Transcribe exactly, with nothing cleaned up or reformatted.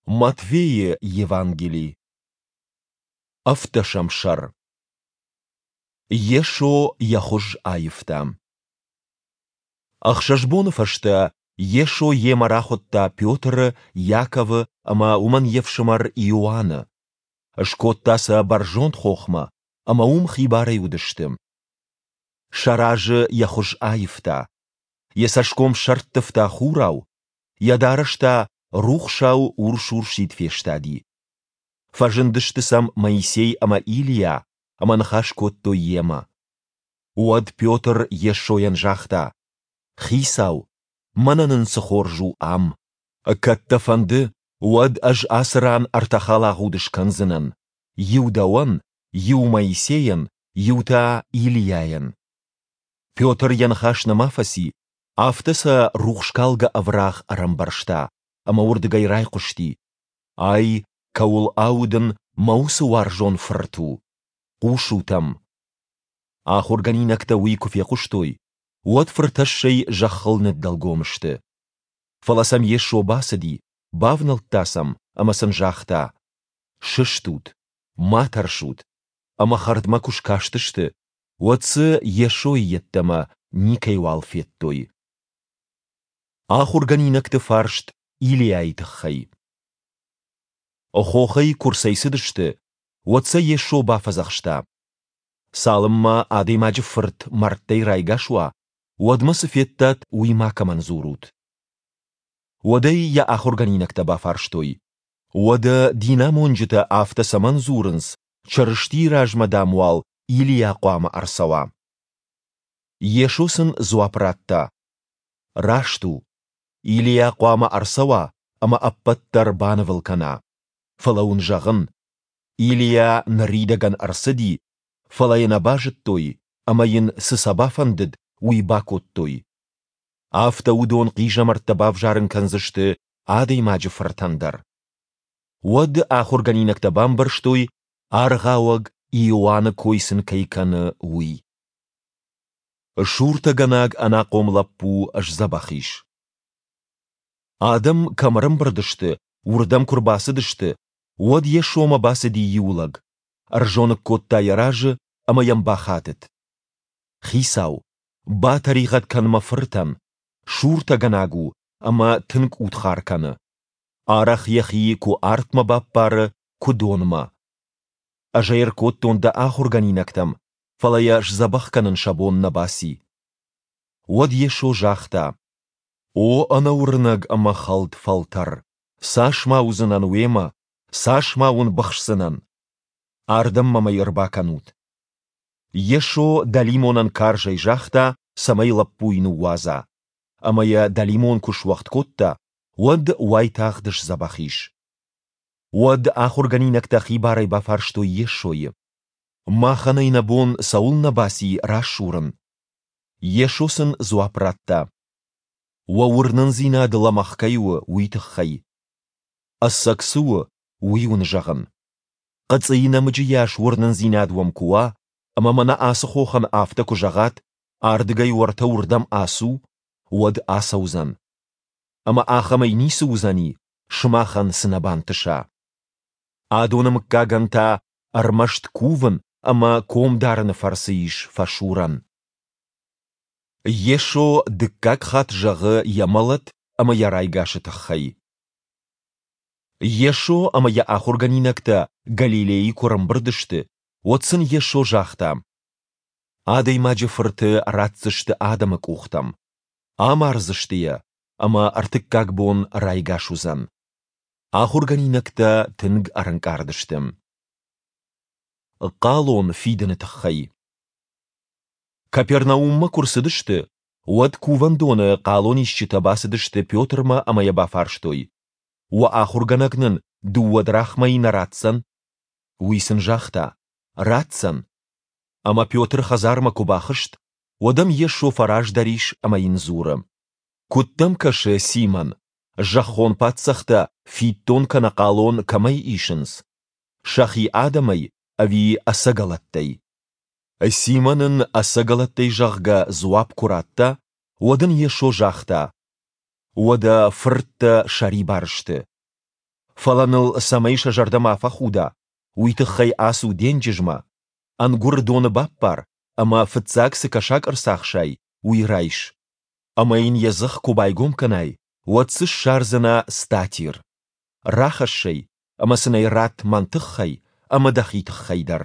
Матфейы Евангели, ӕвддӕсӕм сӕр. Йесо йӕ хуыз аивта. Ӕхсӕз боны фӕстӕ Йесо йемӕ рахуыдта Петры, Иаковы ӕмӕ уымӕн йе фсымӕр Иоанны. Скодта сӕ бӕрзонд хохмӕ, ӕмӕ уым хибарӕй уыдысты. Сӕ разы йӕ хуыз аивта. Йӕ цӕсгом сӕрттывта хурау, йӕ дарӕс та рухсау урс-урсид фестади. Фӕзындысты сӕм Моисей ӕмӕ Илийа ӕмӕ ныхас кодтой йемӕ. Уӕд Петр Йесойӕн загъта: Хицау, мӕнӕ нын цы хорз у ам! Кӕд дӕ фӕнды, уӕд ӕз ацы ран ӕртӕ халагъуды скӕндзынӕн: иу дӕуӕн, иу Моисейӕн, иу та Илийайӕн. Петр йӕ ныхас нӕма фӕци, афтӕ сӕ рухскалгӕ ӕврагъ ӕрӕмбӕрзта, ӕмӕ уырдыгӕй райхъуысти: Ай, кӕуыл аудын, мӕ уыцы уарзон фырт у. Хъусут ӕм. Ахуыргӕнинӕгтӕ уый куы фехъуыстой, уӕд фыртӕссӕй зӕххыл ныддӕлгом сты. Фӕлӕ сӕм Йесо бацыди, бавнӕлдта сӕм ӕмӕ сын загъта: Сыстут, ма тӕрсут. Ӕмӕ хӕрдмӕ куы скастысты, уӕд дзы Йесойы йеддӕмӕ никӕйуал федтой. Ахуыргӕнинӕгты фарст Илийайы тыххӕй. Хохӕй куы рцӕйцыдысты, уӕд сӕ Йесо бафӕдзӕхста: Цалынмӕ Адӕймаджы Фырт мӕрдтӕй райгас уа, уӕдмӕ цы федтат, уый макӕмӕн дзурут. Уӕд ӕй йӕ ахуыргӕнинӕгтӕ бафарстой: Уӕдӕ динамонджытӕ афтӕ цӕмӕн дзурынц, Чырыстийы размӕ, дам, уал Илийа хъуамӕ ӕрцӕуа? Йесо сын дзуапп радта: Раст у, Илийа хъуамӕ ӕрцӕуа ӕмӕ ӕппӕт дӕр банывыл кӕна. Фӕлӕ уын зӕгъын, Илийа ныридӕгӕн ӕрцыди, фӕлӕ йӕ нӕ базыдтой ӕмӕ йын, цы сӕ бафӕндыд, уый бакодтой. Афтӕ уыдон хъизӕмӕрттӕ бавзарын кӕндзысты Адӕймаджы Фыртӕн дӕр. Уӕд ахуыргӕнинӕгтӕ бамбӕрстой, Аргъауӕг Иоанны кой сын кӕй кӕны, уый. Суртӕгӕнаг ӕнахъом лӕппу сдзӕбӕх ис. Адӕм кӕм ӕрӕмбырд сты, уырдӕм куы рбацыдысты, уӕд Йесомӕ бацыди иу лӕг, ӕрзоныг кодта йӕ разы ӕмӕ йӕм бахатыд: Хицау, батӕригъӕд кӕн мӕ фыртӕн, суртӕгӕнаг у ӕмӕ тынг удхар кӕны. Арӕх йӕхи куы артмӕ баппары, куы донмӕ. Ӕз ӕй ӕркодтон дӕ ахуыргӕнинӕгтӕм, фӕлӕ йӕ сдзӕбӕх кӕнын сӕ бон нӕ баци. Уӕд Йесо загъта: О ӕнӕуырнӕг ӕмӕ хӕлд фӕлтӕр, цас ма уыдзынӕн уемӕ, цас ма уын быхсдзынӕн? Ардӕм мӕм ӕй ӕрбакӕнут. Йесо дӕлимонӕн карзӕй загъта, цӕмӕй лӕппуйы ныууадза. Ӕмӕ йӕ дӕлимон куы суӕгъд кодта, уӕд уайтагъд сдзӕбӕх ис. Уӕд ахуыргӕнинӕгтӕ хибарӕй бафарстой Йесойы: Махӕн ӕй нӕ бон цӕуылнӕ баци расурын? Йесо сын дзуапп радта: Уӕ уырнындзинад лӕмӕгъ кӕй у, уый тыххӕй. Ӕцӕг цы у, уый уын зӕгъын. Хъыцъыйы нӕмыджы йас уырнындзинад уӕм куы уа, ӕмӕ мӕнӕ ацы хохӕн афтӕ куы зӕгъат, ардыгӕй уӕртӕ уырдӕм ацу, уӕд ацӕудзӕн. Ӕмӕ ахӕмӕй ницы уыдзӕни, сымахӕн цы нӕ бантыса. Адоны мыггагӕн та ӕрмӕст кувын ӕмӕ ком дарыны фӕрцы ис фӕсурӕн. Йесо дыккаг хатт зӕгъы йӕ мӕлӕт ӕмӕ йӕ райгасы тыххӕй. Йесо ӕмӕ йӕ ахуыргӕнинӕгтӕ Галилейы куы ӕрӕмбырд сты, уӕд сын Йесо загъта: Адӕймаджы Фырты ратдзысты адӕмы къухтӕм, амардзысты йӕ, ӕмӕ ӕртыккаг бон райгас уыдзӕн. Ахуыргӕнинӕгтӕ тынг ӕрӕнкъард сты. Хъалон фидыны тыххӕй. Капернауммӕ куы рцыдысты, уӕд кувӕндоны хъалонисджытӕ бацыдысты Петрмӕ ӕмӕ йӕ бафарстой: Уӕ ахуыргӕнӕг нын дыууӕ драхмӕйы нӕ ратдзӕн? Уый сын загъта: Ратдзӕн. Ӕмӕ Петр хӕдзармӕ куы бахызт, уӕд ӕм Йесо фӕраздӕр ис ӕмӕ йын дзуры: Куыд дӕм кӕсы, Симон, зӕххон паддзӕхтӕ фиддон кӕнӕ хъалон кӕмӕй исынц? Сӕхи адӕмӕй ӕви ӕцӕгӕлӕттӕй? Симон ын ӕцӕгӕлӕттӕй, зӕгъгӕ, дзуапп куы радта, уӕд ын Йесо загъта: Уӕдӕ фырттӕ сӕрибар сты. Фӕлӕ ныл цӕмӕй сӕ зӕрдӕ ма фӕхуда, уый тыххӕй ацу денджызмӕ, ӕнгуыр доны баппар ӕмӕ фыццаг цы кӕсаг ӕрцахсай, уый райс. Ӕмӕ йын йӕ дзых куы байгом кӕнай, уӕд дзы ссардзынӕ статир. Рахӕсс ӕй ӕмӕ сын ӕй ратт мӕн тыххӕй ӕмӕ дӕхи тыххӕй дӕр.